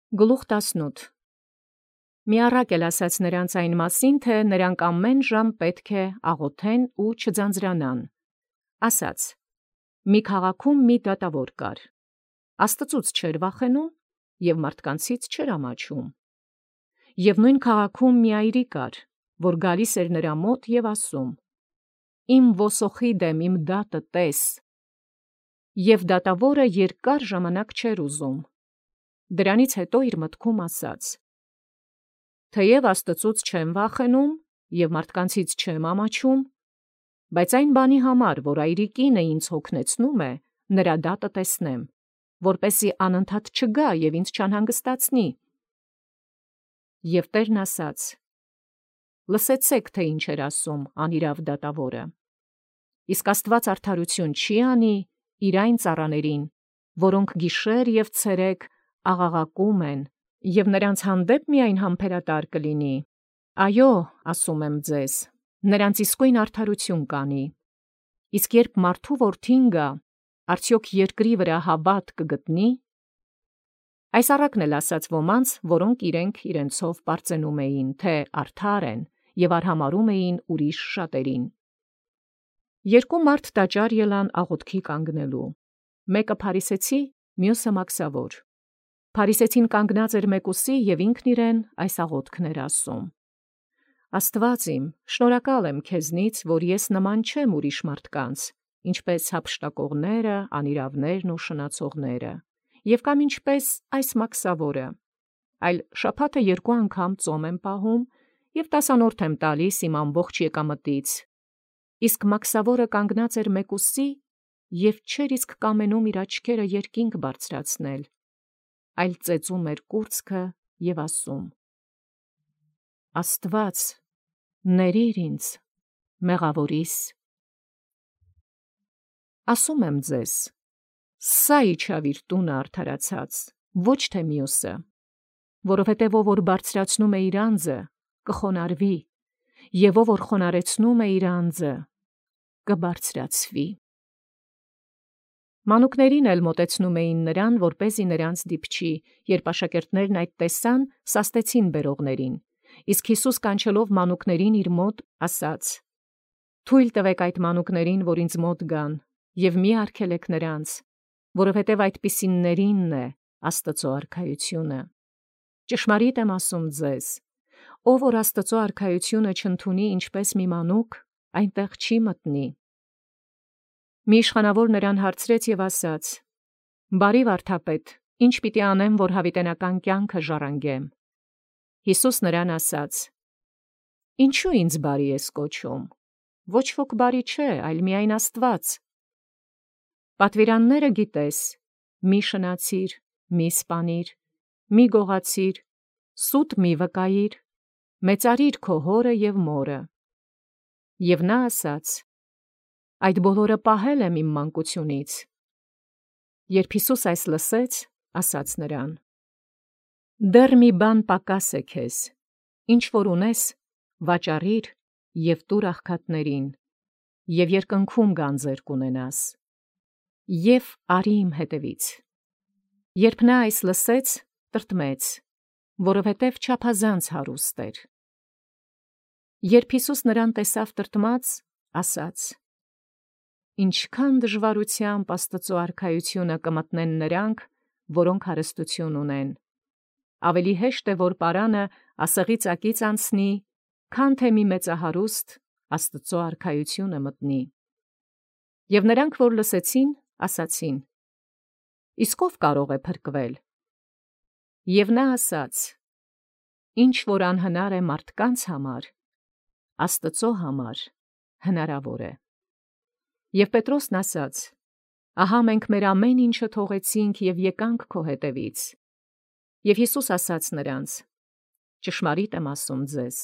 Գլուխ 18 Մի առակ էլ ասաց նրանց այն մասին, թե նրանք ամեն ժամ պետք է աղոթեն ու չձանձրանան. ասաց. մի քաղաքում մի դատավոր կար. Աստծուց չէր վախենում և մարդկանցից չէր ամաչում. և նույն քաղաքում մի այրի կար, որ գալիս էր նրա մոտ և ասում. իմ ոսոխի դեմ իմ դատը տես. և դատավորը երկար ժամանակ չէր ուզում. Դրանից հետո իր մտքում ասաց. թեև Աստծուց չեմ վախենում և մարդկանցից չեմ ամաչում, բայց այն բանի համար, որ այրի կինը ինձ հոգնեցնում է, նրա դատը տեսնեմ, որպեսզի անընդհատ չգա և ինձ չանհանգստացնի։ Եվ Տերն ասաց. լսեցեք, թե ինչ էր ասում անիրավ դատավորը. իսկ Աստված արդարություն չի անի իր այն ծառաներին, որոնք գիշեր և ցերեկ աղաղակում են, և նրանց հանդեպ միայն համբերատար կլինի։ Այո, ասում եմ ձեզ, նրանց իսկույն արդարություն կանի։ Իսկ երբ մարդու որդին գա, արդյոք երկրի վրա հավատ կգտնի։ Այս առակն էլ ասաց ոմանց, որոնք իրենք իրենցով պարծենում էին, թե արդար են, և արհամարհում էին ուրիշ շատերին։ Երկու մարդ տաճար ելան աղոթքի կանգնելու. մեկը փարիսեցի, մյուսը մաքսավոր։ Փարիսեցին կանգնած էր մեկուսի և ինքն իրեն այս աղոթքն էր ասում. Աստված իմ, շնորհակալ եմ քեզնից, որ ես նման չեմ ուրիշ մարդկանց, ինչպես հափշտակողները, անիրավներն ու շնացողները, և կամ ինչպես այս մաքսավորը, այլ շաբաթը 2 անգամ ծոմ եմ պահում և 10-րդ եմ տալիս իմ ամբողջ եկամտից։ Իսկ մաքսավորը կանգնած էր մեկուսի և չէր իսկ կամենում իր աչքերը երկինք բարձրացնել, այլ ծեծում էր կուրծքը և ասում. Աստված, ների՛ր ինձ, մեղավորիս։ Ասում եմ ձեզ, սա իջավ իր տունը արդարացած, ոչ թե մյուսը, որովհետև ով որ բարձրացնում է իր անձը, կխոնարհվի, և ով որ խոնարհեցնում է իր անձը, կբարձրացվի։ Մանուկներին էլ մոտեցնում էին նրան, որպեսզի նրանց դիպչի, երբ աշակերտներն այդ տեսան, սաստեցին բերողներին, իսկ Հիսուս կանչելով մանուկներին իր մոտ, ասաց. թույլ տվեք այդ մանուկներին, որ ինձ մոտ գան, և մի արգելեք նրանց, որովհետև այդպիսիներինն է Աստծու արքայությունը։ Ճշմարիտ եմ ասում ձեզ, ով որ Աստծու արքայությունը չընդունի ինչպես մի մանուկ, այնտեղ չի մտնի։ Մի իշխանավոր նրան հարցրեց և ասաց. Բարի վարդապետ, ի՞նչ պիտի անեմ, որ հավիտենական կյանքը ժառանգեմ։ Հիսուս նրան ասաց. Ինչու ինձ բարի ես կոչում, ոչ ոք բարի չէ, այլ միայն Աստված։ Պատվիրանները գիտես. մի շնացիր, մի սպանիր, մի գողացիր, սուտ մի վկայիր, մեծարիր քո հորը և մորը։ Եվ նա ասաց. այդ բոլորը պահել եմ իմ մանկությունից։ Երբ Հիսուս այս լսեց, ասաց նրան. դեռ մի բան պակաս է քեզ, ինչ որ ունես, վաճառիր և տուր աղքատներին, և երկնքում գանձեր կունենաս, և արի իմ հետևից։ Երբ նա այս լսեց, տրտմեց, որովհետև չափազանց հարուստ էր։ Երբ Հիսուս նրան տեսավ տրտմած, ասաց. ինչքան դժվարությամբ Աստծու արքայությունը կմտնեն նրանք, որոնք հարստություն ունեն։ Ավելի հեշտ է, որ պարանը ասեղի ծակից անցնի, քան թե մի մեծահարուստ Աստծու արքայությունը մտնի։ Եվ նրանք, որ լսեցին, ասացին. իսկ ով կարող է փրկվել։ Եվ նա ասաց. ինչ որ անհնար է մարդկանց համար, Աստծու համար հնարավոր է։ Եվ Պետրոսն ասաց. ահա մենք մեր ամեն ինչը թողեցինք և եկանք քո հետևից։ Եվ Հիսուս ասաց նրանց. ճշմարիտ եմ ասում ձեզ,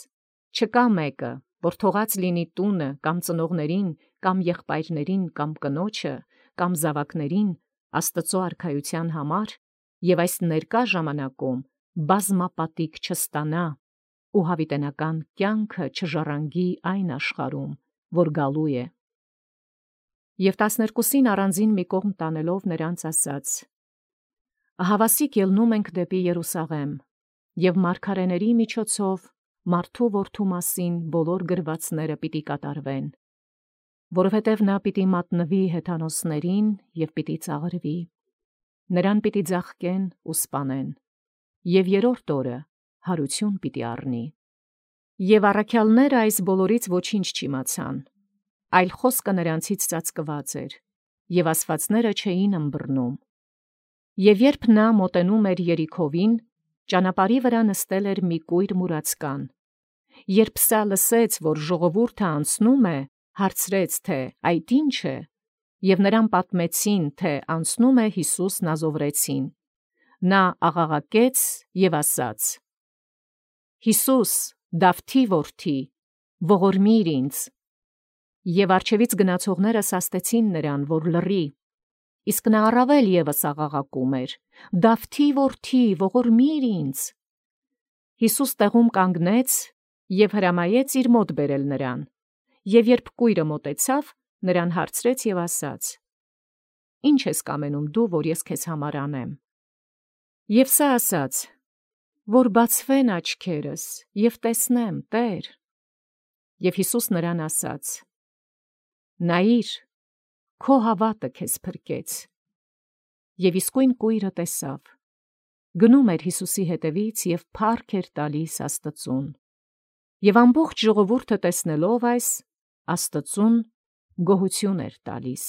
չկա մեկը, որ թողած լինի տունը կամ ծնողներին, կամ եղբայրներին, կամ կնոջը, կամ զավակներին Աստծու արքայության համար, և այս ներկա ժամանակում բազմապատիկ չստանա ու հավիտենական կյանքը չժառանգի այն աշխարհում, որ գալու է։ Եվ 12-ին առանձին մի կողմ տանելով նրանց ասաց. Ահավասիկ ելնում ենք դեպի Երուսաղեմ, և մարգարեների միջոցով մարդու որդու մասին բոլոր գրվածները պիտի կատարվեն, որովհետև նա պիտի մատնվի հեթանոսներին և պիտի ծաղրվի, նրան պիտի ձաղկեն ու սպանեն, և երրորդ օրը հարություն պիտի առնի։ Եվ առաքյալները այս բոլորից ոչինչ չիմացան, այլ խոսքը նրանցից ծածկված էր, և ասվածները չէին ըմբռնում։ Եվ երբ նա մոտենում էր Երիքովին, ճանապարհի վրա նստել էր մի կույր մուրացկան։ Երբ սա լսեց, որ ժողովուրդը անցնում է, հարցրեց, թե այդ ի՞նչ է, և նրան պատմեցին, թե անցնում է Յիսուս Նազովրեցին։ Նա աղաղակեց և ասաց. «Յիսուս, Դավթի որդի, ողորմիր ինձ»։ Եվ առջևից գնացողները սաստեցին նրան, որ լռի, իսկ նա առավել ևս աղաղակում էր. «Դավթի որդի, ողորմիր ինձ»։ Յիսուս տեղում կանգնեց և հրամայեց իր մոտ բերել նրան, և երբ կույրը մոտեցավ, նրան հարցրեց և ասաց. «Ի՞նչ ես կամենում դու, որ ես քեզ համար անեմ»։ Եվ սա ասաց. «Որ բացվեն աչքերս և տեսնեմ, Տե՛ր»։ Եվ Յիսուս նրան ասաց. «Նայիր, քո հավատը քեզ փրկեց»։ Եվ իսկույն կույրը տեսավ, գնում էր Յիսուսի հետևից և փառք էր տալիս Աստծուն։ Եվ ամբողջ ժողովուրդը տեսնելով այս, Աստծուն գոհություն էր տալիս։